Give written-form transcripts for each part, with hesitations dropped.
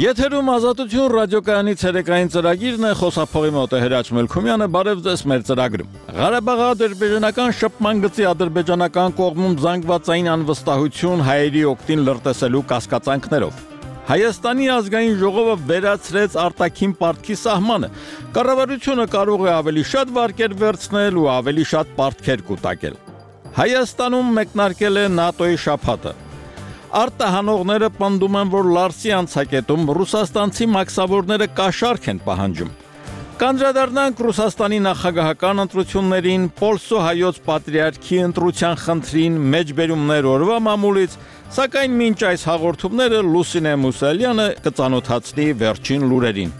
Եթերում ազատություն ռադիոկայանի ցերեկային ծրագիրն է, խոսափողի մոտ է Հրաչ Մելքումյանը, բարև ձեզ մեր ծրագրում։ Ղարաբաղի ադրբեջանական շփման գծի ադրբեջանական կողմում զանգվածային անվստահություն հայերի օգտին լրտեսելու կասկածանքներով։ Հայաստանի ազգային ժողովը վերացրեց արտաքին պարտքի սահմանը։ Կառավարությունը կարող է ավելի շատ վարկեր վերցնել ու ավելի շատ պարտքեր կուտակել։ Հայաստանում մեկնարկել է ՆԱՏՕ-ի շաբաթը։ Արտահանողները պնդում են, որ Լարսի անցակետում ռուսաստանցի մաքսավորները կաշառք են պահանջում։ Կանդրադառնանք Ռուսաստանի նախագահական ընտրություններին, Պոլսո հայոց պատրիարքի ընտրության խնդրին, մեջբերումներ օրվա մամուլից, սակայն մինչ այս հաղորդումները Լուսինե Մուսալյանը կծանոթացնի վերջին լուրերին։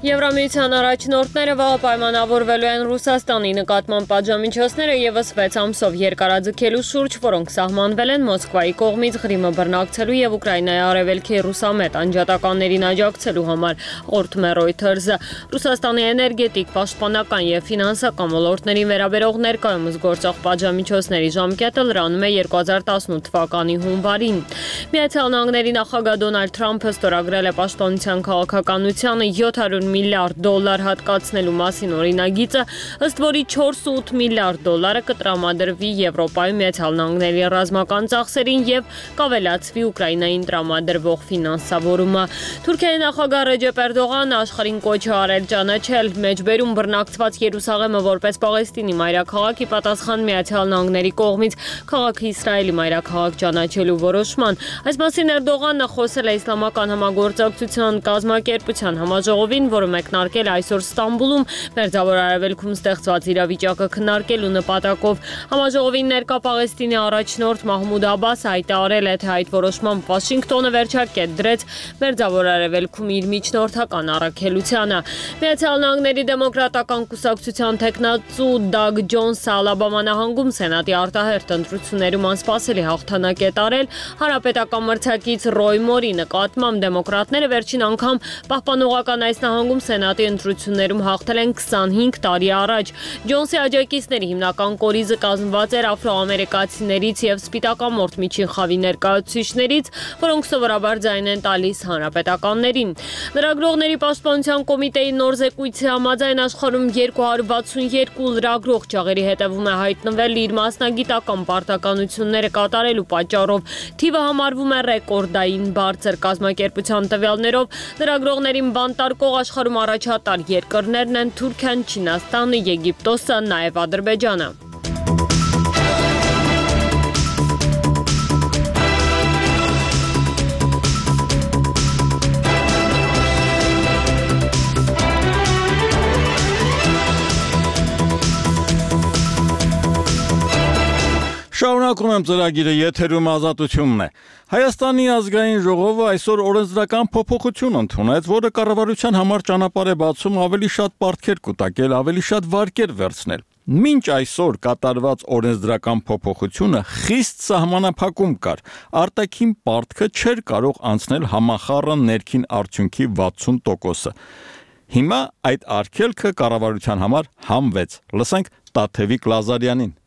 Եվրամիության առաջնորդները վաղ պայմանավորվելու են Ռուսաստանի նկատմամբ պատժամիջոցները ևս 6 ամսով երկարաձգելու շուրջ, որոնք սահմանվել են Մոսկվայի կողմից Ղրիմը բռնակցելու եւ Ուկրաինայի արևելքի ռուսամետ անջատականներին աջակցելու համար, հաղորդում է Reuters-ը։ Ռուսաստանի էներգետիկ, պաշտպանական եւ ֆինանսական ոլորտներին վերաբերող ներկայումս գործող պատժամիջոցների ժամկետը լրանում է 2018 թվականի հունվարին։ Միացյալ Նահանգների նախագահ Դոնալդ Թրամփը ստորագրել է պաշտպանության քաղաքականությանը $700 միլիարդ հատկացնելու մասին օրինագիծը, ըստ որի $4.8 միլիարդ կտրամադրվի Եվրոպայում Միացյալ Նահանգների ռազմական ծախսերին եւ կավելացվի Ուկրաինային տրամադրվող ֆինանսավորումը։ Թուրքիայի նախագահ Ռեջեփ Էրդողանը աշխարհին կոչ է արել ճանաչել մեջբերում բռնակցված Երուսաղեմը որպես Պաղեստինի մայրաքաղաք, ի պատասխան Միացյալ Նահանգների կողմից քաղաքը Իսրայելի մայրաքաղաք ճանաչելու որոշման։ Այս մասին Էրդողանը խոսել է Իսլամական համագործակցության կազմակերպության համաժողովին, որը մեկնարկել այսօր Ստամբուլում, Մերձավոր Արևելքում ստեղծված իրավիճակը քննարկելու նպատակով։ Համաժողովին ներկա Պաղեստինի առաջնորդ Մահմուդ Աբասը հայտարարել է, թե այդ որոշմամբ Վաշինգտոնը վերջակետ դրեց Մերձավոր Արևելքում իր միջնորդական առաքելությանը։ Միացյալ Նահանգների դեմոկրատական կուսակցության տեխնացու Դագ Ջոնսը Ալաբամա նահանգում սենատի արտահերթ ընտրություններում անսպասելի հաղթանակ է տարել հանրապետական մրցակից Ռոյ Մորի նկատմամբ։ Դեմոկրատները վերջին անգամ պահպանողական այս նահանգում սենատի ընտրություններում հաղթել են 25 տարի առաջ։ Ջոնսի աջակիցների հիմնական կորիզը կազմված էր աֆրոամերիկացիներից եւ սպիտակամորթ միջին խավի ներկայացուցիչներից, որոնք սովորաբար ձայն են տալիս հանրապետականներին։ Լրագրողների պաշտպանության կոմիտեի նոր զեկույցի համաձայն աշխարհում 262 լրագրող ճաղերի հետևում է հայտնվել իր մասնագիտական պարտականությունները կատարելու պատճառով։ Թիվը համարվում է ռեկորդային բարձր։ Կազմակերպության տվյալներով լրագրողներին բանտարկող աշխարհում առաջատար երկրներն են Թուրքիան, Չինաստանը, Եգիպտոսը, նաև Ադրբեջանը։ Շարունակում եմ ծրագիրը, եթերում ազատությունն է։ Հայաստանի ազգային ժողովը այսօր օրենսդրական փոփոխություն ընդունեց, որը կառավարության համար ճանապարհ է բացում ավելի շատ պարտքեր կուտակել, ավելի շատ վարկեր վերցնել։ Մինչ այսօր կատարված օրենսդրական փոփոխությունը խիստ սահմանափակում կար։ Արտաքին պարտքը չէր կարող անցնել համախառն ներքին արդյունքի 60%-ը։ Հիմա այդ արգելքը կառավարության համար համվեց։ Լսենք Տաթևիկ Լազարյանին։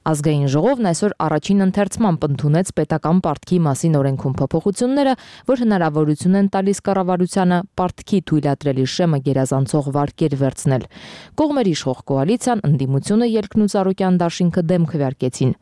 Ազգային ժողովն այսօր առաջին ընթերցմամբ ընդունեց պետական պարտքի մասին օրենքում փոփոխությունները, որ հնարավորություն են տալիս կառավարությանը պարտքի թույլատրելի շեմը գերազանցող վարկեր վերցնել։ Կողմերի իշխող կոալիցիան, ընդդիմությունը, Ելքն ու Ծառուկյան դաշինքը դեմ քվեարկեցին։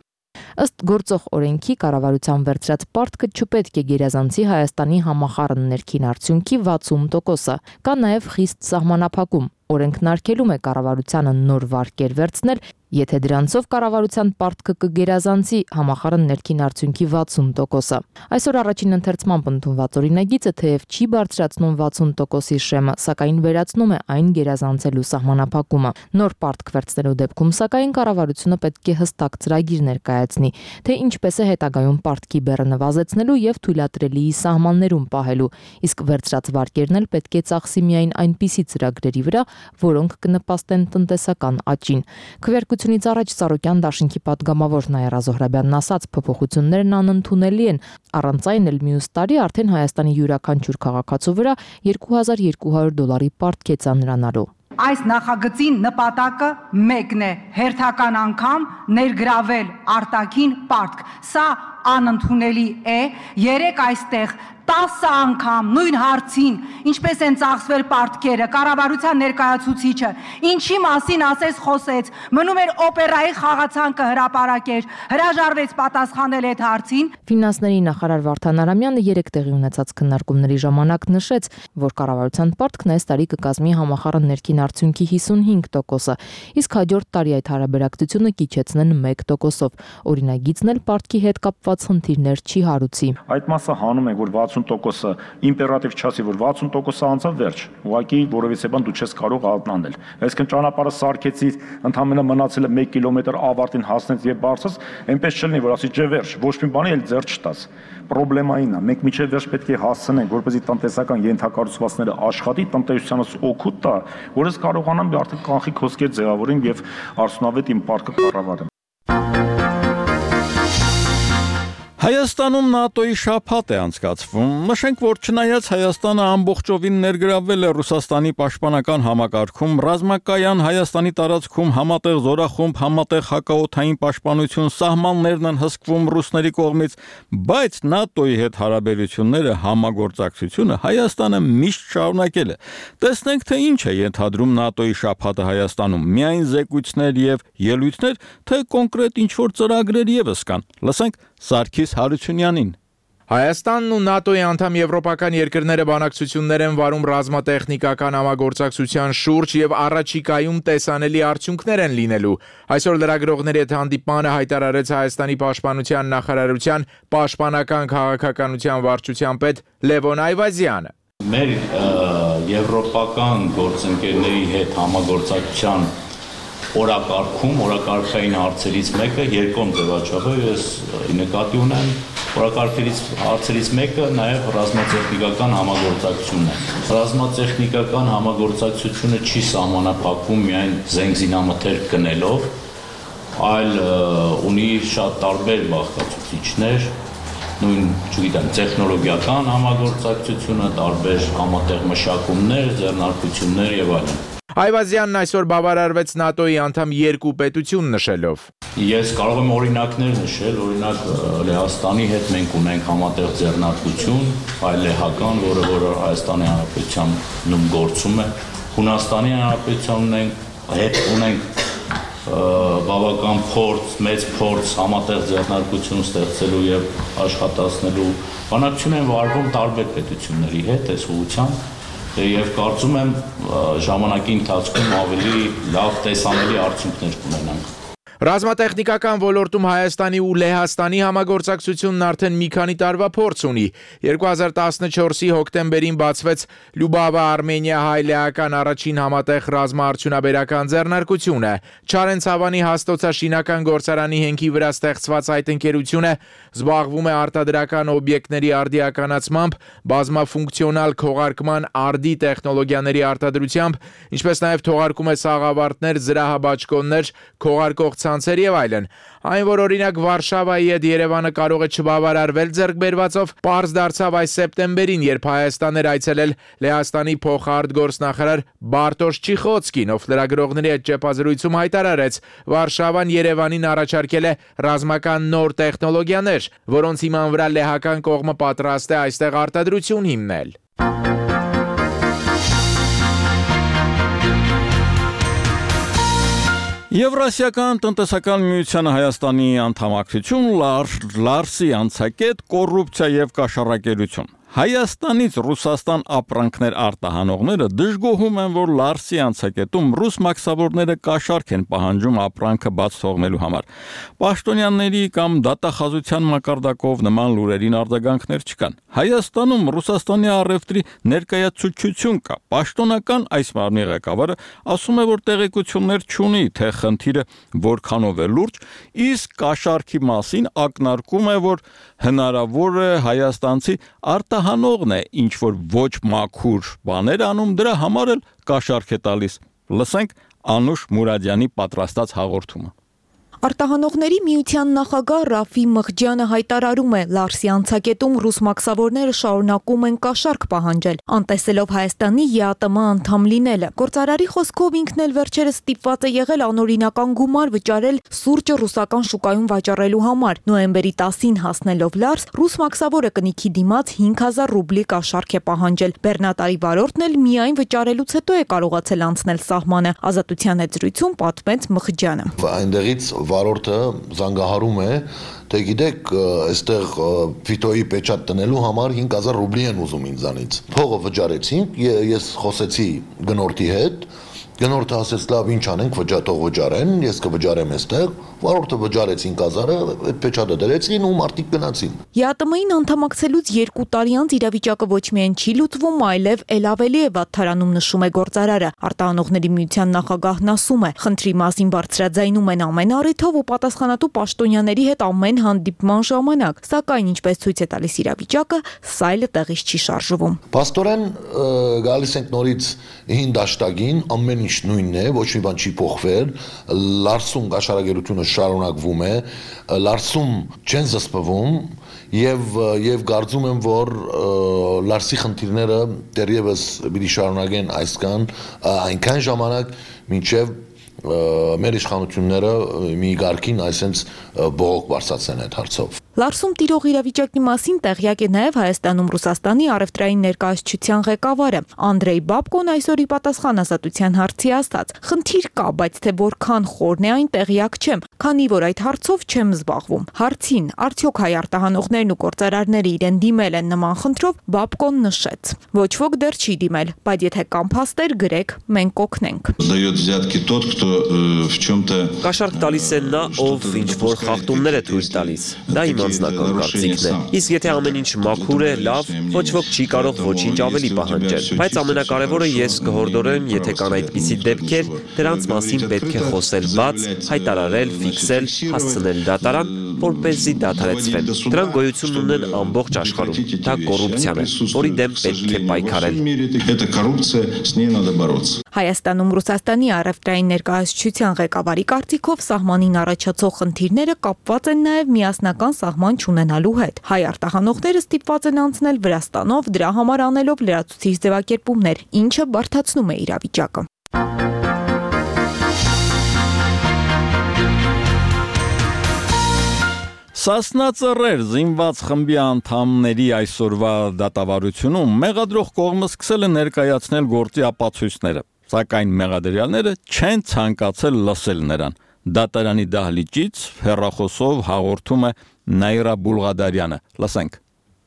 Ըստ գործող օրենքի կառավարության վերցրած պարտքը չպետք է գերազանցի Հայաստանի համախառն ներքին արդյունքի 60%-ը։ Կա նաև խիստ սահմանափակում։ Օրենքն արգելում է կառավարությանը նոր վարկեր վերցնել, եթե դրանցով կառավարության պարտքը կգերազանցի համախառն ներքին արդյունքի 60%-ը։ Այսօր առաջին ընթերցմամբ ընդունված օրինագիծը թեև չի բարձրացնում 60%-ի շեմը, սակայն վերացնում է այն գերազանցելու սահմանափակումը։ Նոր պարտք վերցնելու դեպքում սակայն կառավարությունը պետք է հստակ ծրագիր ներկայացնի, թե ինչպես է հետագայում պարտքի բեռը նվազեցնելու եւ թույլատրելիի սահմաններում պահելու, իսկ վերցրած վարկերն էլ պետք է ծախսի միայն այնպիսի ծրագրերի վրա, որոնք կնպաստեն տնտեսական աճին։ Քվեարկությունից առաջ Ծառուկյան դաշինքի պատգամավոր Նաիրա Զոհրաբյանն ասաց, փոփոխություններն անընդունելի են, առանց այն էլ մյուս տարի արդեն Հայաստանի յուրաքանչյուր քաղաքացու վրա $2200 պարտք է ծանրանալու։ Այս նախագծի նպատակը մեկն է՝ հերթական անգամ ներգրավել արտաքին պարտք։ Սա անընդունելի է, երեք այստեղ 10 անգամ նույն հարցին, ինչպես են ծախսվել պարտքերը, կառավարության ներկայացուցիչը, ինչի մասին ասես խոսեց, մնում էր օպերայի խաղացանկը հրապարակեր, հրաժարվեց պատասխանել այդ հարցին։ Ֆինանսների նախարար Վարդան Արամյանը 3 տեղի ունեցած քննարկումների ժամանակ նշեց, որ կառավարության պարտքն այս տարի կկազմի համախառն ներքին արդյունքի 55%-ը, իսկ հաջորդ տարի այդ հարաբերակցությունը կիջեցնեն 1%-ով։ Օրինագիծն էլ պարտքի հետ կապված խնդիրներ չի հարուցի։ Այդ մասը հանում ենք, որ 60%-ը իմպերատիվ չասի, որ 60%-ը անցավ վերջ։ Ուղղակի որևիցե բան դու չես կարող ալտանել։ Այսինքն ճանապարհը սարքեցի, ընդհանրապես մնացել է 1 կիլոմետր ավարտին հասնեց եւ բարձրաց, այնպես չլինի, որ ասի ջե վերջ, ոչ մի բանի էլ ձեռ չտաս։ Պրոբլեմային է, մենք միջև վերջ պետք է հասցնենք, որպեսզի տնտեսական ենթակառուցվածքները աշխատի, տնտեսությանս օգուտ տա, որ ես կարողանամ արդեն կանխիկ հոսքեր ձևավորեմ եւ արդյունավետ իմ պարկը կառավարեմ։ Հայաստանում ՆԱՏՕ-ի շաբաթ է անցկացվում։ Նշենք, որ չնայած Հայաստանը ամբողջովին ներգրավվել է Ռուսաստանի պաշտպանական համակարգում, ռազմակայան Հայաստանի տարածքում համատեղ զորախումբ, համատեղ հակաօդային պաշտպանություն, սահմաններն են հսկվում ռուսների կողմից, բայց ՆԱՏՕ-ի հետ հարաբերությունները, համագործակցությունը Հայաստանը միշտ շարունակել է։ Տեսնենք, թե ինչ է ենթադրում ՆԱՏՕ-ի շաբաթը Հայաստանում։ Միայն զեկույցներ եւ ելույթներ, թե կոնկրետ ինչ-որ ծրագրեր եւս կան։ Լսենք Սարգիս Հարությունյանին։ Հայաստանն ու ՆԱՏՕ-ի անդամ եվրոպական երկրները բանակցություններ են վարում ռազմատեխնիկական համագործակցության շուրջ եւ առաջիկայում տեսանելի արդյունքներ են լինելու։ Այսօր լրագրողների հետ հանդիպմանը հայտարարեց Հայաստանի պաշտպանության նախարարության պաշտպանական քաղաքականության վարչության պետ Լևոն Այվազյանը։ Մեր եվրոպական գործընկերների հետ համագործակցության օրակարգային հարցերից մեկը երկկողմ ձևաչափով ես նկատի ունեմ հարցերից մեկը նաև ռազմատեխնիկական համագործակցությունն է։ Ռազմատեխնիկական համագործակցությունը չի սահմանափակվում միայն զենքզինամթերք գնելով, այլ ունի շատ տարբեր բաղկացուցիչներ, նույն, չգիտեմ, տեխնոլոգիական համագործակցությունը, տարբեր համատեղ մշակումներ, ձեռնարկություններ եւ այլն։ Այվազյանն այսօր բավարարվեց ՆԱՏՕ-ի անդամ 2 պետություն նշելով։ Ես կարող եմ օրինակներ նշել, օրինակ Լեհաստանի հետ մենք ունենք համատեղ ձեռնարկություն, այլ լեհական, որը Հայաստանի Հանրապետությունում գործում է, Հունաստանի Հանրապետության հետ ունենք բավական մեծ փորձ համատեղ ձեռնարկություն ստեղծելու եւ աշխատացնելու բանակցություն են վարվում տարբեր պետությունների հետ այս ուղղությամբ եւ կարծում եմ ժամանակի ընթացքում ավելի լավ տեսանելի արդյունքներ կունենանք։ Ռազմատեխնիկական ոլորտում Հայաստանի ու Լեհաստանի համագործակցությունն արդեն մի քանի տարվա փորձ ունի։ 2014-ի հոկտեմբերին բացվեց Լյուբավա-Արմենիա-հայ-լեհական առաջին համատեղ ռազմաարդյունաբերական ձեռնարկությունը։ Չարենցավանի հաստոցաշինական գործարանի հենքի վրա ստեղծված այդ ընկերությունը զբաղվում է արտադրական օբյեկտների արդիականացմամբ, բազմաֆունկցիոնալ քողարկման արդի տեխնոլոգիաների արտադրությամբ, ինչպես նաև թողարկում է սաղավարտներ, զրահաբաճկոններ, քողարկող ցանցեր եւ այլն։ Այն, որ օրինակ Վարշավայի հետ Երևանը կարող է չբավարարվել ձեռքբերվածով, պարզ դարձավ այս սեպտեմբերին, երբ Հայաստան էր այցելել Լեհաստանի փոխարտգործնախարար Բարտոշ Չիխոցկին, ով լրագրողների հետ ճեպազրույցում հայտարարեց, Վարշավան Երևանին առաջարկել է ռազմական նոր տեխնոլոգիաներ, որոնց հիման վրա լեհական կողմը պատրաստ է այստեղ արտադրություն հիմնել։ Եվրասիական տնտեսական միությանը Հայաստանի անդամակցություն, Լարսի անցակետ, կոռուպցիա եւ կաշառակերություն։ Հայաստանից Ռուսաստան ապրանքներ արտահանողները դժգոհում են, որ Լարսի անցակետում ռուս մաքսավորները կաշառք են պահանջում ապրանքը բաց թողնելու համար։ Պաշտոնյաների կամ դատախազության մակարդակով նման լուրերին արձագանքներ չկան։ Հայաստանում Ռուսաստանի առևտրի ներկայացուցչություն կա։ Պաշտոնական այս մարմնի ղեկավարը ասում է, որ տեղեկություններ չունի, թե խնդիրը որքանով է լուրջ, իսկ կաշառքի մասին ակնարկում է, որ հնարավոր է հայաստանցի արտահանողն է ինչ որ ոչ մաքուր բաներ անում, դրա համար էլ կաշառք է տալիս։ Լսենք Անուշ Մուրադյանի պատրաստած հաղորդումը։ Արտահանողների միության նախագահ Ռաֆի Մղջյանը հայտարարում է, Լարսի անցակետում ռուս մաքսավորները շարունակում են կաշառք պահանջել, անտեսելով Հայաստանի ԵԱՏՄ անդամ լինելը։ Գործարարի խոսքով ինքն էլ վերջերս ստիպված է եղել անօրինական գումար վճարել սուրճը ռուսական շուկայում վաճառելու համար։ Նոյեմբերի 10-ին հասնելով Լարս, ռուս մաքսավորը կնիքի դիմաց 5000 ռուբլի կաշառք է պահանջել։ Բեռնատարի վարորդն էլ միայն վճարելուց հետո է կարողացել անցնել սահմանը։ Ազատության հետ զրույցում պատմեց Մղջյանը։ Այնտեղից վարորդը զանգահարում է, թե գիտեք, այստեղ ֆիտոյի պեչատ տնելու համար 5000 ռուբլի են ուզում ինձանից։ Փողը վճարեցինք, ես խոսեցի գնորդի հետ, գնորդը ասեց լավ ինչ անենք, վճարեն, ես կվճարեմ այստեղ, վարորդը վճարեց 5000-ը, այդ պեչատը դրեցին ու մարդիկ գնացին։ ԵԱՏՄ-ին անդամակցելուց 2 տարի անց իրավիճակը ոչ միայն չի լուծվում, այլև ել ավելի է վատթարանում, նշում է գործարարը։ Արտահանողների միության նախագահն ասում է, խնդրի մասին բարձրաձայնում են ամեն առիթով ու պատասխանատու պաշտոնյաների հետ ամեն հանդիպման ժամանակ, սակայն ինչպես ցույց է տալիս իրավիճակը, սայլը տեղից չի շարժվում։ Պաստորեն գալիս ենք նորից 5 դաշտագին, ամեն ինչ նույնն է, ոչ մի բան չի փոխվել, Լարսում կաշառակերությունը շարունակվում է, Լարսում չեն զսպվում եւ կարծում եմ, որ Լարսի խնդիրները դեռևս պիտի շարունակեն այնքան ժամանակ, մինչեւ մեր իշխանությունները մի գարկին այսենց բողոք բարձրացնեն այդ հարցով։ Լարսում տիրող իրավիճակի մասին տեղյակ է նաև Հայաստանում Ռուսաստանի առևտրային ներկայացուցչության ղեկավարը Անդրեյ Բաբկոն այսօր ի պատասխան Ազատության հարցի ասաց. խնդիր կա, բայց թե որքան խորն է այն տեղյակ չեմ, քանի որ այդ հարցով չեմ զբաղվում։ Հարցին, արդյոք հայ արտահանողներն ու գործարարները իրեն դիմել են նման խնդրով, Բաբկոն նշեց. ոչ ոք դեռ չի դիմել, բայց եթե կան փաստեր, գրեք, մենք կօգնենք։ Կաշառք տալիս է նա, ով ինչ-որ խախտումներ է թույլ տալիս։ Դա իմ անձնական կարծիքն է։ Իսկ եթե ամեն ինչ մաքուր է, լավ, ոչ ոք չի կարող ոչինչ ավելի պահանջել։ Բայց ամենակարևորը ես կհորդորեմ, եթե կան այդպիսի դեպքեր, դրանց մասին պետք է խոսել բաց, հայտարարել, ֆիքսել, հասցնել դատարան, որպեսզի դադարեցվեն։ Դրանք գոյություն ունեն ամբողջ աշխարհում։ Դա կոռուպցիան է, որի դեմ պետք է պայքարել։ Հայաստանում Ռուսաստանի առևտրային ներկայացուցչության ղեկավարի կարծիքով սահմանին առաջացող խնդիրները կապված են նաև միասնական սահման չունենալու հետ։ Հայ արտահանողները ստիպված են անցնել Վրաստանով, դրա համար անելով լրացուցիչ ձևակերպումներ, ինչը բարդացնում է իրավիճակը։ Սասնա ծռեր զինված խմբի անդամների այսօրվա դատավարությունում մեղադրող կողմը սկսել է ներկայացնել գործի ապացույցները, սակայն մեղադրյալները չեն ցանկացել լսել նրան։ Դատարանի դահլիճից հեռախոսով հաղորդում է Նաիրա Բուլղադարյանը։ Լսենք։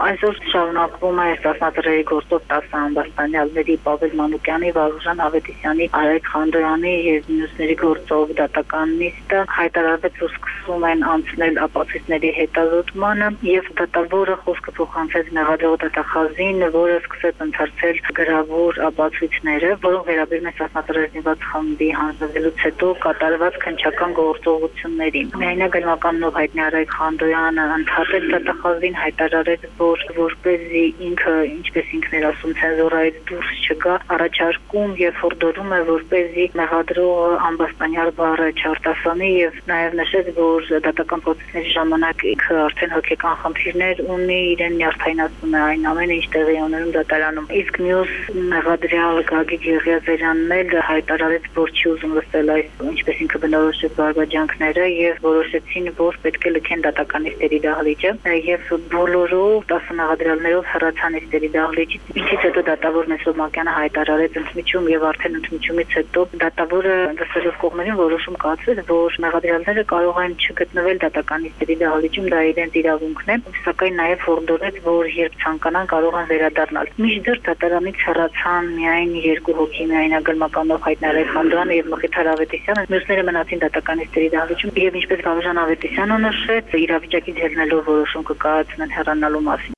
Այսօր շարունակվում է Սասնա ծռերի գործով 10 ամբաստանյալների Պավել Մանուկյանի, Վարուժան Ավետիսյանի, Արայք Խանդոյանի եւ մյուսների գործով դատական նիստը հայտարարվեց, որ սկսում են անցնել ապացույցների հետազոտմանը եւ դատավորը խոսքը փոխանցեց մեղադրող դատախազին, որը սկսեց ընթերցել գրավոր ապացույցները, որոնք վերաբերում են Սասնա ծռերի զինված խմբի հանձնվելուց հետո կատարված քննչական գործողություններին։ Միայնագլմականով հայտնի Արայք Խանդոյանը ընդհատեց դատախազին, հայտարարեց, որպեսզի ինքը, ինչպես ինքն էր ասում, ցենզուրայից դուրս չգա, առաջարկում եւ հորդորում է, որպեսզի մեղադրողը ամբաստանյալ բառը չարտասանի եւ նաեւ նշեց, որ դատական process-ների ժամանակ ինքը արդեն հոգեկան խնդիրներ ունի, իրեն նյարդայնացնում է այն ամենը, ինչ տեղի ունենում դատարանում։ Իսկ մյուս մեղադրյալ Գագիկ Եղիազարյանն էլ հայտարարեց, որ չի ուզում լսել այս, ինչպես ինքը բնորոշեց բարգաջանքները եւ որոշեցին, որ պետք է լքեն դատականիստերի դահլիճը եւ բոլորով 10 մեղադրյալներով հեռացան իստերի դահլիճից, ինչից հետո դատավոր Մեսրոպ Մակյանը հայտարարեց ընդմիջում եւ արդեն ընդմիջումից հետո դատավորը լսելով կողմերին որոշում կայացրեց, որ մեղադրյալները կարող են չգտնվել դատականիստերի դահլիճում, դա իրենց իրավունքն է, սակայն նաեւ հորդորեց, որ երբ ցանկանան կարող են վերադառնալ։ Մինչդեռ դատարանից հեռացան միայն 2 հոգի, միայնագլմականով հայտնի Արայք Խանդոյանը եւ Մխիթար Ավետիսյանը, մյուսները մնացին դատականիստերի դահլիճում եւ ինչպես Վարուժան Ավետիսյանը նշեց, իրավիճակից ելնելով որոշում կկայացնեն հեռանալու մասին։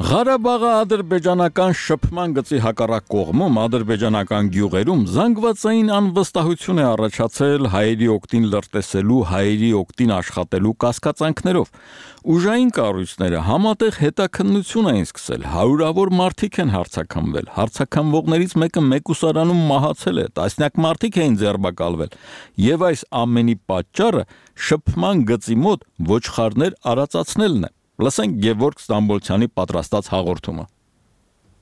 Ղարաբաղի ադրբեջանական շփման գծի հակառակ կողմում ադրբեջանական գյուղերում զանգվածային անվստահություն է առաջացել հայերի օգտին լրտեսելու, հայերի օգտին աշխատելու կասկածանքներով։ Ուժային կառույցները համատեղ հետաքննություն էին սկսել, հարյուրավոր մարդիկ են հարձակվել, հարձակվողներից մեկը մեկուսարանում մահացել է, տասնյակ մարդիկ էին ձերբակալվել, եւ այս ամենի պատճառը շփման գծի մոտ ոչխարներ արածացնելն է։ Լսենք Գևորգ Ստամբոլցյանի պատրաստած հաղորդումը։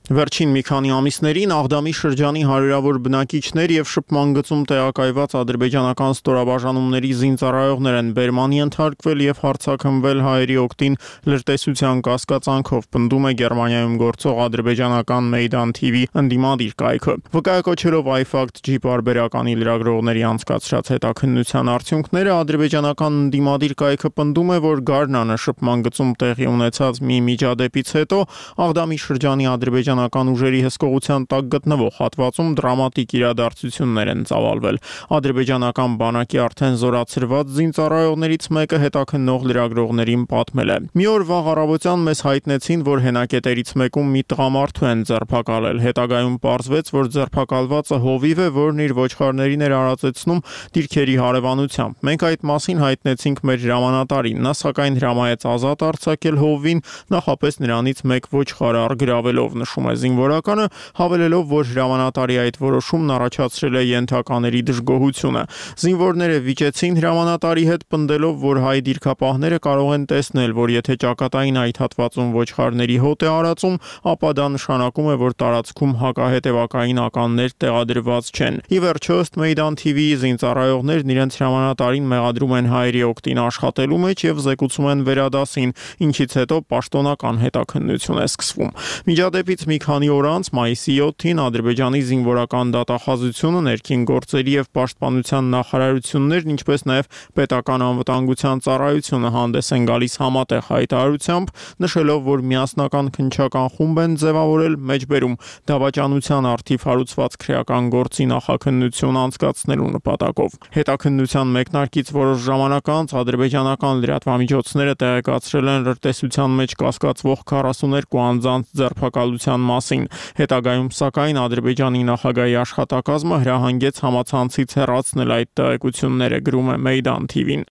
Վերջին մի քանի ամիսներին Աղդամի շրջանի հարյուրավոր բնակիչներ եւ շփման գծում տեղակայված ադրբեջանական ստորաբաժանումների զինծառայողներ են բերմանի ենթարկվել եւ հարձակվել հայերի օգտին լրտեսության կասկածանքով, պնդում է Գերմանիայում գործող ադրբեջանական Meydan TV ընդդիմադիր կայքը։ Վկայակոչելով iFact-G բարբերականի լրագրողների անցկացրած հետաքննության արդյունքները, ադրբեջանական ընդդիմադիր կայքը պնդում է, որ Գառնանը շփման գծում տեղի ունեցած մի միջադեպից հետո Աղդամի շրջանի ադրբեջանական ուժերի հսկողության տակ գտնվող հատվածում դրամատիկ իրադարձություններ են ծավալվել։ Ադրբեջանական բանակի արդեն զորացրված զինծառայողներից մեկը հետաքննող լրագրողներին պատմել է. «Մի օր վաղ առավոտյան մեզ հայտնեցին, որ հենակետերից մեկում մի տղամարդու են ձերբակալել։ Հետագայում պարզվեց, որ ձերբակալվածը հովիվ է, որն իր ոչխարներին էր արածեցնում դիրքերի հարևանությամբ։ Մենք այդ մասին հայտնեցինք մեր հրամանատարին։ Նա սակայն հրամայեց ազատ արձակել հովվին, նախապես նրանից մեկ ոչխար առգրավելով», նշում է զինվորականը, հավելելով, որ հրամանատարի այդ որոշումն առաջացրել է ենթակաների դժգոհությունը։ Զինվորները վիճեցին հրամանատարի հետ, պնդելով, որ հայ դիրքապահները կարող են տեսնել, որ եթե ճակատային այդ հատվածում ոչխարների հոտ է արածում, ապա դա նշանակում է, որ տարածքում հակահետևակային ականներ տեղադրված չեն։ Ի վերջո, ըստ Meydan TV-ի զինծառայողներն իրենց հրամանատարին մեղադրում են հայերի օգտին աշխատելու մեջ եւ զեկուցում են վերադասին, ինչից հետո պաշտոնական հետաքննություն է սկսվում։ Միջադեպից մի քանի օր անց մայիսի 7-ին Ադրբեջանի զինվորական դատախազությունը, ներքին գործերի եւ պաշտպանության նախարարություններն, ինչպես նաեւ պետական անվտանգության ծառայությունը հանդես են գալիս համատեղ հայտարարությամբ, նշելով, որ միասնական քննչական խումբ են ձևավորել մեջբերում դավաճանության արդիվ հարուցված քրեական գործի նախաքննություն անցկացնելու նպատակով։ Հետաքննության մեկնարկից որոշ ժամանակ անց ադրբեջանական լրատվամիջոցները տեղեկացրել են լրտեսության մեջ կասկածվող 42 անձանց ձերբակալության մասին։ Հետագայում սակայն Ադրբեջանի նախագահի աշխատակազմը հրահանգեց համացանցից հեռացնել այդ տեղեկությունները, գրում է Meydan TV-ն։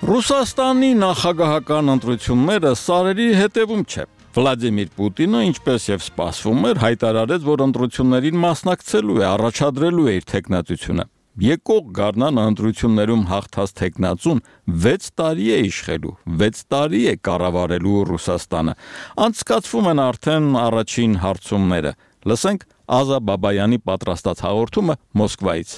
Ռուսաստանի նախագահական ընտրությունները սարերի հետևում չէ։ Վլադիմիր Պուտինը, ինչպես եւ սպասվում էր, հայտարարեց, որ ընտրություններին մասնակցելու է, առաջադրելու է իր թեկնածությունը։ Եկող Գառնանը ընտրություններում հաղթած թեկնածուն 6 տարի է իշխելու, 6 տարի է կառավարելու Ռուսաստանը։ Անցկացվում են արդեն առաջին հարցումները։ Լսենք Ազա Բաբայանի պատրաստած հաղորդումը Մոսկվայից։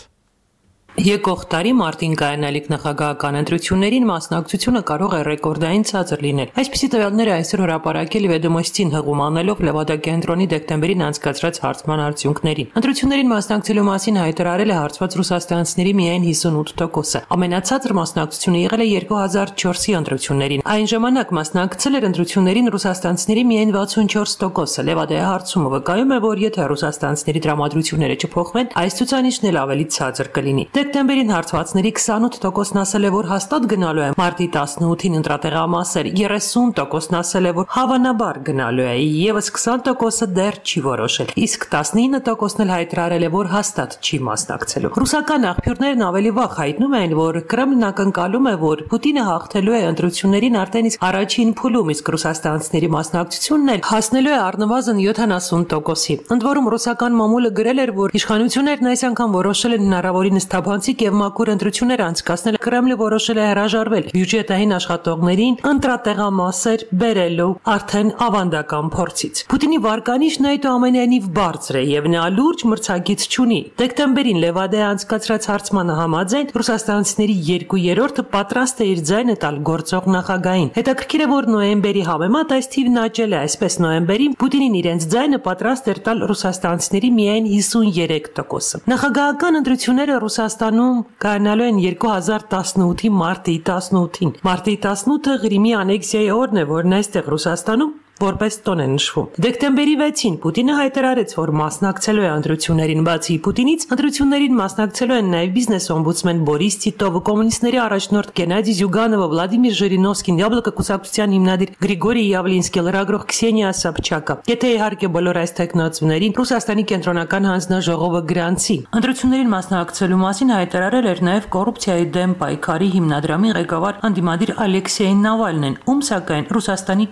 Եկող տարի մարտին կայանալիք նախագահական ընտրություններին մասնակցությունը կարող է ռեկորդային ցածր լինել։ Այսպիսի տվյալները այսօր հրապարակել Վեդոմոստին հղում անելով Լևադա-կենտրոնի դեկտեմբերին անցկացրած հարցման արդյունքներին։ Ընտրություններին մասնակցելու մասին հայտարարել է հարցված ռուսաստանցիների միայն 58%-ը։ Ամենացածր մասնակցությունը եղել է 2004-ի ընտրություններին։ Այն ժամանակ մասնակցել էր ընտրություններին ռուսաստանցիների միայն 64%-ը։ Լևադայի հարցումը վկայում է, որ եթե ռուսաստանցիների տրամադրությունները չփոխվեն, այս ցուցանիշն էլ ավելի ցածր կլինի։ Դեկտեմբերին հարցվածների 28%-ն ասել է, որ հաստատ գնալու է մարտի 18-ին ընտրատեղամասեր, 30%-ն ասել է, որ հավանաբար գնալու է, եւս 20%-ը դեռ չի որոշել, իսկ 19%-ն էլ հայտարարել է, որ հաստատ չի մասնակցելու։ Ռուսական աղբյուրներն ավելի վաղ հայտնում են, որ Կրեմլն ակնկալում է, որ Պուտինը հաղթելու է ընտրություններին արդեն իսկ առաջին փուլում, իսկ ռուսաստանցիների մասնակցությունն էլ հասնելու է առնվազն 70%-ի։ Ընդ որում ռուսական մամուլը գրել էր, որ իշխանություններն այս անգամ որոշել են հնարավորինս թափանցիկ եւ մաքուր ընտրություններ անցկացնել։ Կրեմլը որոշել է հրաժարվել բյուջետային աշխատողներին ընտրատեղամասեր բերելու արդեն ավանդական փորձից։ Պուտինի վարկանիշն այդուամենայնիվ բարձր է եւ նա լուրջ մրցակից չունի։ Դեկտեմբերին Լևադայի անցկացրած հարցմանը համաձայն ռուսաստանցիների 2/3-ը պատրաստ է իր ձայնը տալ գործող նախագահին։ Հետաքրքիր է, որ նոյեմբերի համեմատ այս թիվն աճել է, այսպես նոյեմբերին Պուտինին իրենց ձայնը պատրաստ էր տալ ռուսաստանցիների միայն 53%-ը։ Նախագահական ընտրությունները Ռուսաստան Ռուսաստանում կայանալու են 2018-ի մարտի 18-ին։ Մարտի 18-ը Ղրիմի անեքսիայի օրն է, որն այստեղ Ռուսաստանում որպես տոն է նշվում։ Դեկտեմբերի 6-ին Պուտինը հայտարարեց, որ մասնակցելու է ընտրություններին, բացի Պուտինից, ընտրություններին մասնակցելու են նաև բիզնես օմբուդսմեն Բորիս Տիտովը, կոմունիստների առաջնորդ Գենադի Զյուգանովը, Վլադիմիր Ժիրինովսկին, Յաբլոկա կուսակցության հիմնադիր Գրիգորի Յավլինսկի, լրագրող Քսենիա Սաբչակը։ Եթե իհարկե բոլոր այս տեխնոացուներին Ռուսաստանի կենտրոնական հանձնաժողովը գրանցի։ Ընտրություններին մասնակցելու մասին հայտարարել էր նաև կոռուպցիայի դեմ պայքարի հիմնադրամի ղեկավար անդիմադիր Ալեքսեյ Նավալնին, ում սակայն Ռուսաստանի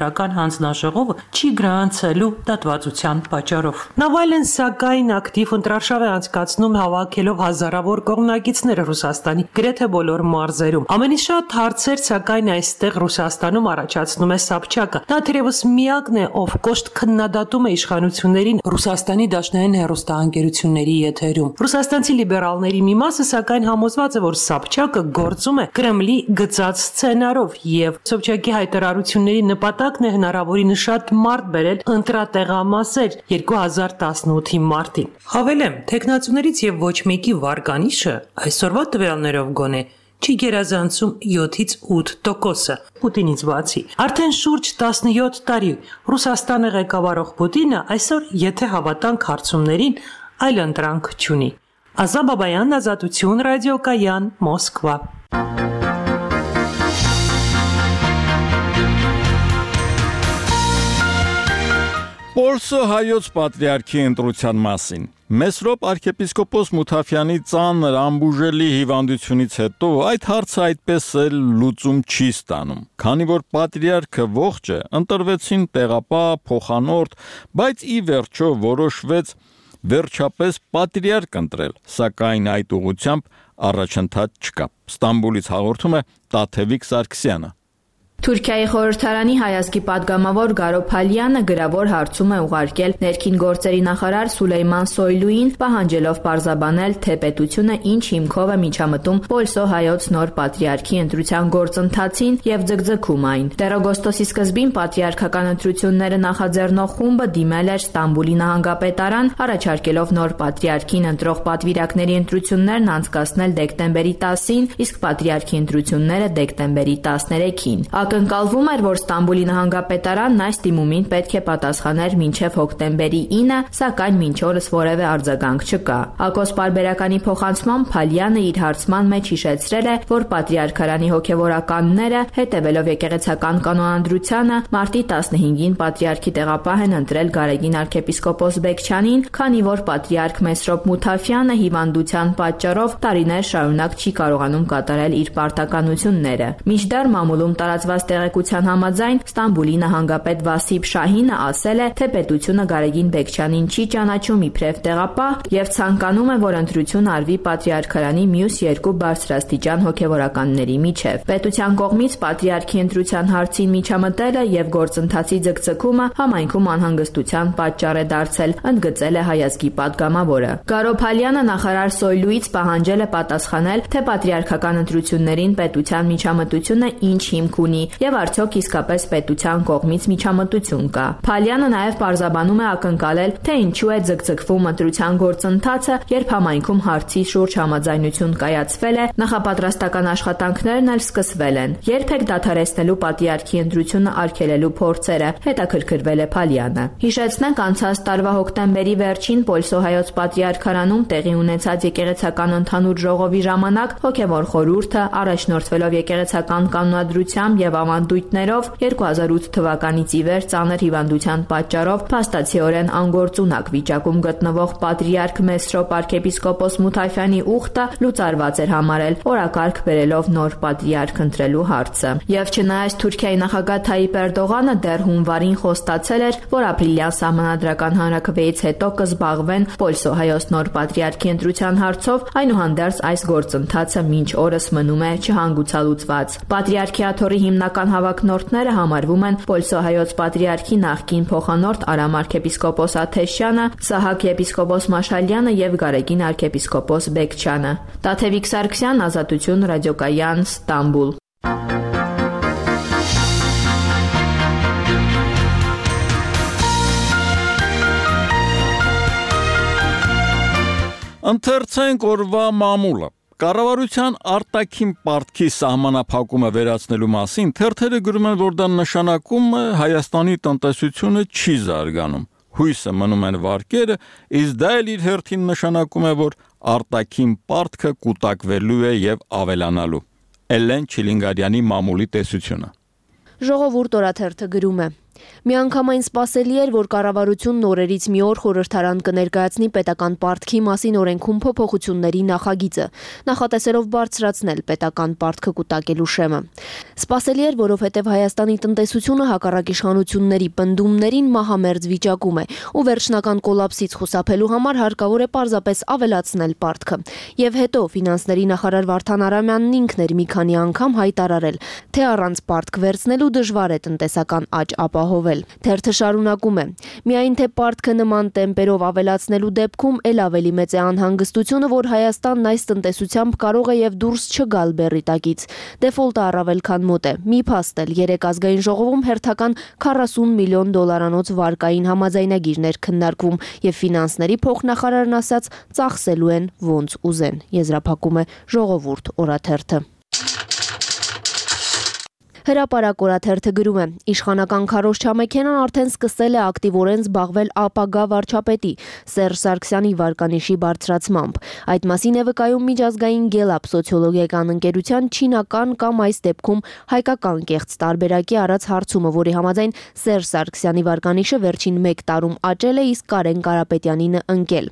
կենտրոնական հանձնաժողովը չի գրանցելու դատվածության պատճառով։ Նավալեն սակայն ակտիվ ընտրարշավ է անցկացնում հավաքելով հազարավոր կողմնակիցներ Ռուսաստանի գրեթե բոլոր մարզերում։ Ամենից շատ հարցեր սակայն այստեղ Ռուսաստանում առաջացնում է Սաբչակը։ Նա թերևս միակն է, ով կոշտ քննադատում է իշխանություններին Ռուսաստանի դաշնային հեռուստաընկերությունների եթերում։ Ռուսաստանցի լիբերալների մի մասը սակայն համոզված է, որ Սաբչակը գործում է Կրեմլի գծած սցենարով եւ Սաբչակի հայտարարությունների նպատակն է հնարավորինս շատ մարդ բերել ընտրատեղամասեր 2018-ի մարտին։ Հավելեմ, տեխնացուներից եւ ոչ մեկի վարկանիշը այսօրվա տվյալներով գոնե չի գերազանցում 7-ից 8%, Պուտինից բացի։ Արդեն շուրջ 17 տարի Ռուսաստանը ղեկավարող Պուտինը այսօր, եթե հավատանք հարցումներին, այլ ընտրանք չունի։ Ազա Բաբայան, Ազատություն, ռադիոկայան, Մոսկվա։ Պոլսո հայոց պատրիարքի ընտրության մասին։ Մեսրոպ arczepiskopos Մութաֆյանի ծանր ամբուժելի հիվանդությունից հետո այդ հարցը այդպես էլ լուծում չի ստանում։ Քանի որ պատրիարքը ողջ է, ընտրվեցին տեղապահ, փոխանորդ, բայց ի վերջո որոշվեց վերջապես պատրիարք ընտրել, սակայն այդ ուղղությամբ առաջընթաց չկա։ Ստամբուլից հաղորդում է Տաթևիկ Սարգսյանը։ Թուրքիայի խորհրդարանի հայազգի падգամավոր Գարո Փալյանը գրավոր հարցում է ուղարկել ներքին գործերի նախարար Սուլեյման Սոյլուին, պահանջելով պարզաբանել, թե պետությունը ինչ հիմքով է միջամտում Պոլսո հայոց նոր պատրիարքի ընտրության գործընթացին եւ ձգձգում այն։ Դեռ օգոստոսի սկզբին պատրիարքական ընտրությունները նախաձեռնող խումբը դիմել էր Ստամբուլի նահանգապետարան, առաջարկելով նոր պատրիարքին ընտրող պատվիրակների ընտրություններն անցկացնել դեկտեմբերի 10-ին, իսկ պատրիարքի ընտրությունները դեկտեմբերի 13-ին։ Ակնկալվում էր, որ Ստամբուլի նահանգապետարանն այս դիմումին պետք է պատասխաներ մինչև հոկտեմբերի 9, սակայն մինչ օրս որևէ արձագանք չկա։ Ակոս պարբերականի փոխանցմամբ Փալյանը իր հարցման մեջ հիշեցրել է, որ պատրիարքարանի հոգևորականները, հետևելով եկեղեցական կանոնադրությանը, մարտի 15-ին պատրիարքի տեղապահ են ընտրել Գարեգին arczepiskopos Բեկչյանին, քանի որ պատրիարք Մեսրոպ Մութաֆյանը հիվանդության պատճառով տարիներ շարունակ չի կարողանում կատարել իր պարտականությունները։ Մինչդեռ մամուլում տարածված տեղեկության համաձայն Ստամբուլի նահանգապետ Վասիփ Շահինը ասել է, թե պետությունը Գարեգին Բեկչյանին չի ճանաչում իբրև տեղապահ եւ ցանկանում է, որ ընտրություն արվի պատրիարքարանի մյուս երկու բարձրաստիճան հոգևորականների միջև։ Պետության կողմից պատրիարքի ընտրության հարցին միջամտելը եւ գործընթացի ձգձգումը համայնքում անհանգստության պատճառ է դարձել, ընդգծել է հայազգի падգամավորը։ Գարո Փալյանը նախարար Սոյլուից պահանջել է պատասխանել, թե պատրիարքական ընտրություններին պետության միջամտությունը ինչ հիմք ունի եւ արդյոք իսկապես պետության կողմից միջամտություն կա։ Փալյանը նաեւ պարզաբանում է ակնկալել, թե ինչու է ձգձգվում ընտրության գործընթացը, երբ համայնքում հարցի շուրջ համաձայնություն կայացվել է, նախապատրաստական աշխատանքներն էլ սկսվել են։ Երբեք դադարեցնելու պատրիարքի ընտրությունը արգելելու փորձերը, հետաքրքրվել է Փալյանը։ Հիշեցնենք, անցած տարվա հոկտեմբերի վերջին Պոլսո հայոց պատրիարքարանում տեղի ունեցած եկեղեցական ընդհանուր ժողովի ժամանակ հոգևոր խորհուրդը առաջնորդվելով եկեղեցական կանոնադրությամբ եւ ավանդույթներով 2008 թվականից ի վեր ծանր հիվանդության պատճառով փաստացիորեն անգործունակ վիճակում գտնվող պատրիարք Մեսրոպ arczepiskopos Մութաֆյանի ուխտը լուծարված էր համարել, օրակարգ բերելով նոր պատրիարք ընտրելու հարցը։ Եվ չնայած Թուրքիայի նախագահ Թայիպ Էրդողանը դեռ հունվարին խոստացել էր, որ ապրիլյան սահմանադրական հանրաքվեից հետո կզբաղվեն Պոլսո հայոց նոր պատրիարքի ընտրության հարցով, այնուհանդերձ այս գործընթացը մինչ օրս մնում է չհանգուցալուծված։ Պատրիարքիաթորի հիմնական հավակնորդները համարվում են Պոլսո հայոց պատրիարքի նախկին փոխանորդ Արամ arczepiskopos Աթեշյանը, Սահակ եպիսկոպոս Մաշալյանը եւ Գարեգին arczepiskopos Բեկչյանը։ Տաթևիկ Սարգսյան, Ազատություն, ռադիոկայան, Ստամբուլ։ Ընթերցենք օրվա մամուլը։ Կառավարության արտաքին պարտքի սահմանափակումը վերացնելու մասին թերթերը գրում են, որ դա նշանակում է Հայաստանի տնտեսությունը չի զարգանում։ Հույսը մնում են վարկերը, իսկ դա էլ իր հերթին նշանակում է, որ արտաքին պարտքը կուտակվելու է եւ ավելանալու։ Էլեն Չիլինգարյանի մամուլի տեսությունը։ Ժողովուրդ օրաթերթը գրում է. Միանգամայն սպասելի էր, որ կառավարությունն օրերից մի օր խորհրդարան կներկայացնի պետական պարտքի մասին օրենքում փոփոխությունների նախագիծը, նախատեսելով բարձրացնել պետական պարտքը կուտակելու շեմը։ Սպասելի էր, որովհետև Հայաստանի տնտեսությունը հակառակ իշխանությունների պնդումներին մահամերձ վիճակում է, ու վերջնական կոլապսից խուսափելու համար հարկավոր է պարզապես ավելացնել պարտքը։ Եվ հետո ֆինանսների նախարար Վարդան Արամյանն ինքն էր մի քանի անգամ հայտարարել, թե առանց պարտք վերցնելու դժվար է տնտեսական աճ ապահովել։ Թերթը շարունակում է. Միայն թե պարտքը նման տեմպերով ավելացնելու դեպքում էլ ավելի մեծ է անհանգստությունը, որ Հայաստանն այս տնտեսությամբ կարող է եւ դուրս չգալ բեռի տակից։ Դեֆոլտը առավել քան մոտ է։ Մի փաստ էլ երեք ազգային ժողովում հերթական 40 միլիոն դոլարանոց վարկային համաձայնագիրներ քննարկվում եւ ֆինանսների փոխնախարարն ասաց, ծախսելու են ոնց ուզեն։ Եզրափակում է Ժողովուրդ օրաթերթը։ Հրապարակ օրաթերթը գրում է. Իշխանական քարոզչամեքենան արդեն սկսել է ակտիվորեն զբաղվել ապագա վարչապետի Սերժ Սարգսյանի վարկանիշի բարձրացմամբ։ Այդ մասին է վկայում միջազգային Gallup սոցիոլոգիական ընկերության չինական կամ այս դեպքում հայկական կեղծ տարբերակի արած հարցումը, որի համաձայն Սերժ Սարգսյանի վարկանիշը վերջին 1 տարում աճել է, իսկ Կարեն Կարապետյանինը ընկել։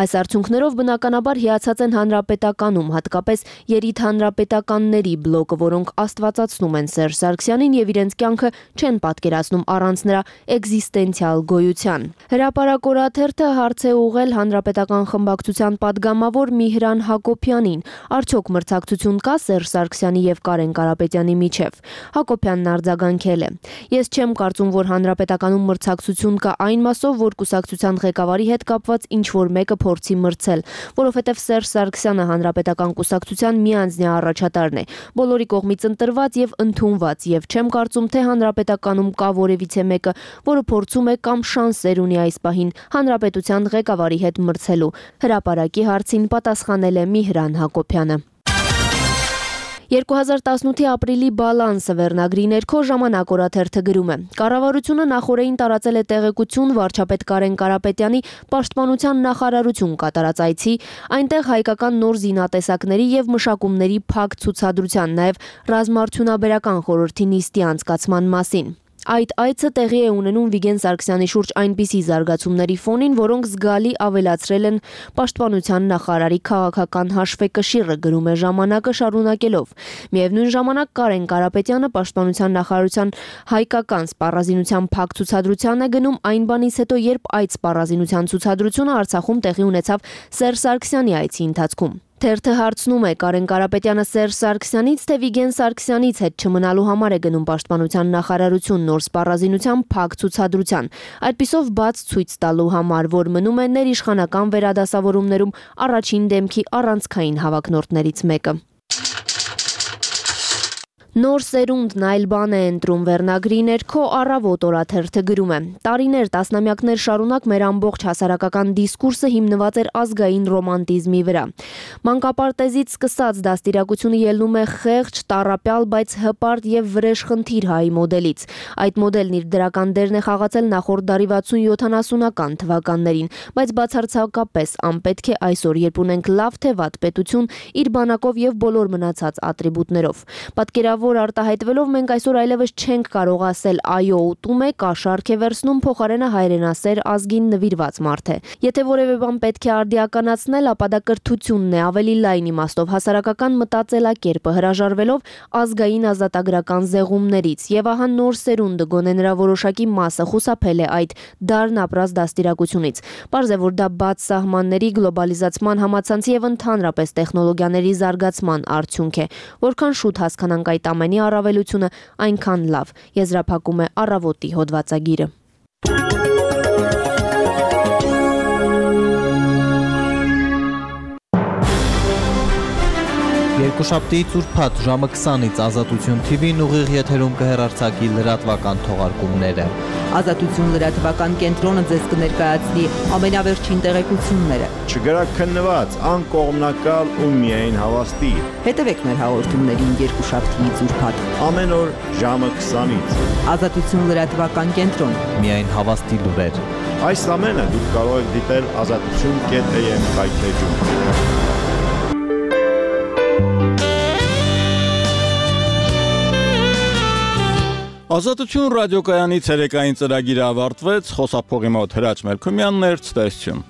Այս արդյունքներով բնականաբար հիացած են հանրապետականում, հատկապես երիտհանրապետականների բլոկը, որոնք աստվածացնում են Սերժ Սարգսյանին եւ իրենց կյանքը չեն պատկերացնում առանց նրա էգզիստենցիալ գոյության։ Հրապարակ օրաթերթը հարց է ուղղել հանրապետական խմբակցության падգամավոր Միհրան Հակոբյանին. Արդյոք մրցակցություն կա Սերժ Սարգսյանի եւ Կարեն Կարապետյանի միջև։ Հակոբյանն արձագանքել է. Ես չեմ կարծում, որ հանրապետականում մրցակցություն կա այն մասով, որ կուսակցության ղեկավարի հետ կապված ինչ որ մեկը փորձի մրցել, որովհետեւ Սերժ Սարգսյանը հանրապետական կուսակցության միանձնյա առաջատարն է, բոլորի կողմից ընտրված եւ ընդունված, եւ չեմ կարծում, թե հանրապետականում կա որևիցե մեկը, որը փորձում է կամ շանսեր ունի այս պահին հանրապետության ղեկավարի հետ մրցելու։ Հրապարակի հարցին պատասխանել է Միհրան Հակոբյանը։ 2018-ի ապրիլի բալանսը վերնագրի ներքո Ժամանակ օրաթերթը գրում է. Կառավարությունը նախորդին տարածել է տեղեկություն վարչապետ Կարեն Կարապետյանի պաշտպանության նախարարություն կատարած այցի, այնտեղ հայկական նոր զինատեսակների եւ մշակումների փակ ցուցադրության, նաեւ ռազմաարդյունաբերական խորհրդի նիստի անցկացման մասին։ Այդ այցը տեղի է ունենում Վիգեն Սարգսյանի շուրջ այնպիսի զարգացումների ֆոնին, որոնք զգալի ավելացրել են պաշտպանության նախարարի քաղաքական հաշվեկշիռը, գրում է Ժամանակը շարունակելով։ Միևնույն ժամանակ Կարեն Կարապետյանը պաշտպանության նախարարության հայկական սպառազինության փակ ցուցադրության է գնում այն բանից հետո, երբ այդ սպառազինության ցուցադրությունը Արցախում տեղի ունեցավ Սերժ Սարգսյանի այցի ընթացքում։ Թերթը հարցնում է Կարեն Կարապետյանը Սերժ Սարգսյանից, թե Վիգեն Սարգսյանից հետ չմնալու համար է գնում պաշտպանության նախարարություն նոր սպառազինության փակ ցուցադրության, այդպիսով բաց ցույց տալու համար, որ մնում է ներիշխանական վերադասավորումներում առաջին դեմքի առանցքային հավակնորդներից մեկը։ Նոր սերունդն այլ բան է ընտրում վերնագրի ներքո Առավոտ օրաթերթը գրում է. Տարիներ, տասնամյակներ շարունակ մեր ամբողջ հասարակական դիսկուրսը հիմնված էր ազգային ռոմանտիզմի վրա։ Մանկապարտեզից սկսած դաստիարակությունը ելնում է խեղճ, տառապյալ, բայց հպարտ եւ վրեժխնդիր հայի մոդելից։ Այդ մոդելն իր դրական դերն է խաղացել նախորդ դարի 60-70-ական թվականներին, բայց բացարձակապես անպետք է այսօր, երբ ունենք լավ թե վատ պետություն, իր բանակով եւ բոլոր մնացած ատրիբուտներով։ Պատկերավոր արտահայտվելով մենք այսօր այլևս չենք կարող ասել այո, ուտում է, կաշառք է վերցնում, փոխարենը հայրենասեր ազգին նվիրված մարդ է։ Եթե որևէ բան պետք է արդիականացնել, ապա դա կրթությունն է, ավելի լայն իմաստով հասարակական մտածելակերպը, հրաժարվելով ազգային ազատագրական զեղումներից։ Եվ ահա նոր սերունդը, գոնե նրա որոշակի մասը խուսափել է այդ դարն ապրած դաստիարակությունից։ Պարզ է, որ դա բաց սահմանների, գլոբալիզացման, համացանցի եւ ընդհանրապես տեխնոլոգիաների զարգացման արդյունք է։ Որքան շուտ հասկանանք այդ ամենի առավելությունը, այնքան լավ, եզրափակում է Առավոտի հոդվածագիրը։ Երկուշաբթի ծուրփաթ ժամը 20-ից Ազատություն TV-ն ուղիղ եթերում կհեռարձակի լրատվական թողարկումները։ Ազատություն լրատվական կենտրոնը ձեզ կներկայացնի ամենավերջին տեղեկությունները։ Չգրաքննված, անկողմնակալ ու միայն հավաստի։ Հետևեք մեր հաղորդումներին երկուշաբթի ծուրփաթ։ Ամեն օր ժամը 20-ից։ Ազատություն լրատվական կենտրոն։ Միայն հավաստի լուրեր։ Այս ամենը դուք կարող եք դիտել azatutun.am կայքեջում։ Ազատություն ռադիոկայանի ցերեկային ծրագիրը ավարտվեց, խոսափողի մոտ Հրաչ Մելքումյանն էր, ցտեսություն։